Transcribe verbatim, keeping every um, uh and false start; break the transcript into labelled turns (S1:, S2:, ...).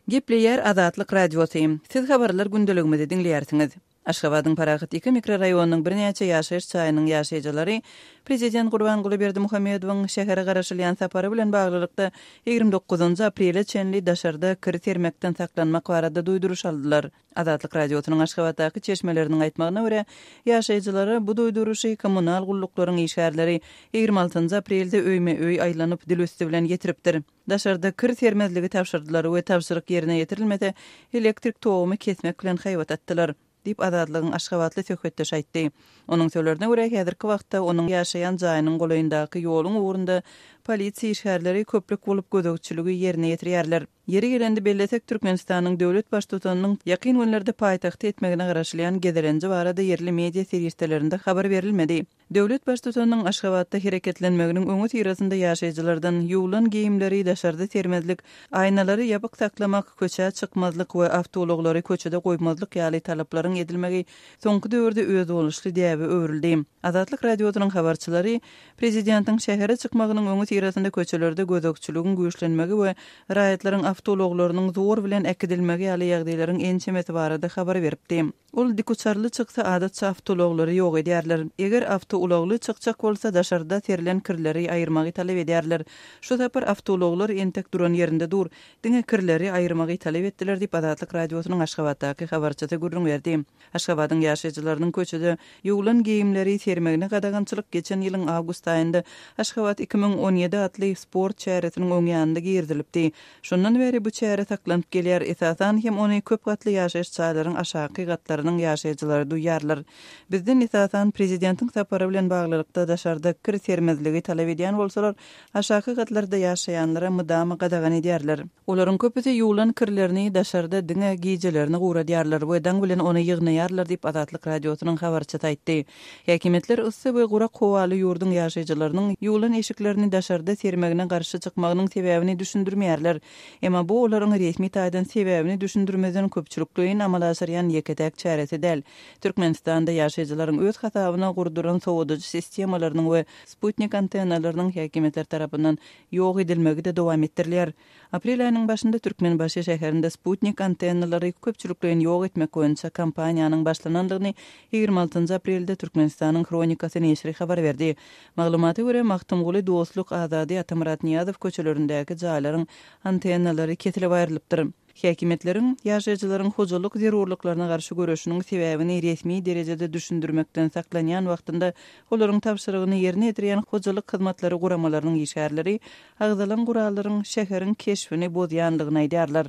S1: Gepleýär Azatlyk Radiosy. Siz habarlar gündeligimizi diňleýärsiňiz. Aşgabadyň Parahat iki mikroraýonynyň birnäçe ýaşaýyş jaýynyň ýaşaýjylary Prezident Gurbanguly Berdimuhamedowyň şähere garaşylýan sapary bilen baglylykda ýigrimi dokuzynjy aprele çenli daşarda kir sermekden saklanmak barada duýduryş aldylar. Azatlyk Radiosynyň Aşgabatdaky çeşmeleriniň aýtmagyna görä, ýaşaýjylara bu duýduryşy kommunal gulluklaryň işgärleri ýigrimi altynjy aprelde öýme-öý aýlanyp dil üsti bilen ýetiripdir. Daşarda kir sermezligi tabşyrdylar we tabşyryk ýerine ýetirilmese, elektrik togumy kesmek bilen haýbat atdylar, diýip, Azatlygyň aşgabatly söhbetdeşi aýtdy. Onuň sözlerine görä, häzirki wagtda onuň ýaşaýan jaýynyň golaýyndaky ýoluň ugrunda polisiýa işgärleri köplük bolup gözegçiligi ýerine ýetirýärler. Ýeri gelende bellesek, Türkmenistanyň döwlet Baştutanynyň ýakyn günlerde paýtagta etmegine garaşylýan gezelenji barada ýerli media serişdelerinde habar berilmedi. Döwlet Baştutanynyň Aşgabatda hereketlenmeginiň öňüsyrasynda ýaşaýjylardan ýuwlan geýimleri daşarda sermezlik, aýnalary ýapyk saklamak, köçä çykmazlyk we awtoulaglary köçede goýmazlyk ýaly talaplaryň edilmegi soňky döwürde özboluşly däbe öwrüldi. Azatlyk Radiosynyň habarçylary prezidentiň şähere çykmagynyň öňüsyrasynda köçelerde gözegçiligiň güýçlenmegi we raýatlaryň awtoulaglarynyň zor bilen äkidilmegi ýaly ýagdaýlaryň ençemesi barada habar beripdi. Ol dikuçarly çyksa adatça awtoulaglary ýok edýärler. Eger awtoulagly çykjak bolsa daşarda serilen kirleri aýyrmagy talap edýärler. Şu sapar awtoulaglar entek duran ýerinde dur. Diňe kirleri aýyrmagy talap etdiler diýip Azatlyk Radiosynyň Aşgabatdaky habarçysy gürrüň berdi. Aşgabadyň ýaşaýjylarynyň köçede ýuwlan geýimleri sermegine gadagançylyk geçen ýylyň awgust aýynda Aşgabat iki müň on ýedi atly sport çäresiniň öň ýanynda girizilipdi. Şondan bäri bu çäre saklanyp gelýär. Esasan hem ony köp gatly ýaşaýyş jaýlaryň aşaky gatlarynyň ýaşaýjylary duýýarlar. Bizden esasan prezidentiň sapary bilen baglylykda daşarda kir sermezligi talap edýän bolsalar, aşaky gatlarda ýaşaýanlara mydama gadagan edýärler. Olaryň köpüsi ýuwlan kirlerini daşarda diňe gijelerini guradýarlar we daň bilen ony ýygnaýarlar diýip Azatlyk Radiosynyň habarçysy aýtdy. Häkimiýetler yssy we gurak howaly ýurduň ýaşaýjylarynyň ýuwlan eşiklerini daşarda sermegine garşy çykmagynyň sebäbini düşündirmeýärler. Emma bu olaryň resmi taýdan sebäbini düşündirmeden köpçülikleýin amala aşyrýan ýeke-täk çäresi däl. Türkmenistanda ýaşaýjylaryň öz hasabyna gurduran sowadyjy sistemalarynyň we sputnik antennalarynyň häkimiýetler tarapyndan ýok edilmegi-de dowam etdirilýär. Aprel aýynyň başynda Türkmenbaşy şäherinde sputnik antennalary köpçülikleýin ýok etmek boýunça kampaniýanyň başlanandygyny ýigrimi altynjy aprelde Türkmenistanyň Hronikasy neşiri habar berdi. Maglumata görä, Magtymguly, Dostluk, Azady, Atamyrat Nyýazow köçelerindäki jaýlaryň antennalary kesilip aýrylypdyr. Häkimiýetleriň ýaşaýjylaryň hojalyk zerurlyklaryna garşy göreşiniň sebäbini resmi derejede düşündirmekden saklanýan wagtynda olaryň tabşyrygyny ýerine ýetirýän hojalyk hyzmatlary guramalarynyň işgärleri agzalan gurallaryň şäheriň keşbini bozýandygyny aýdýarlar.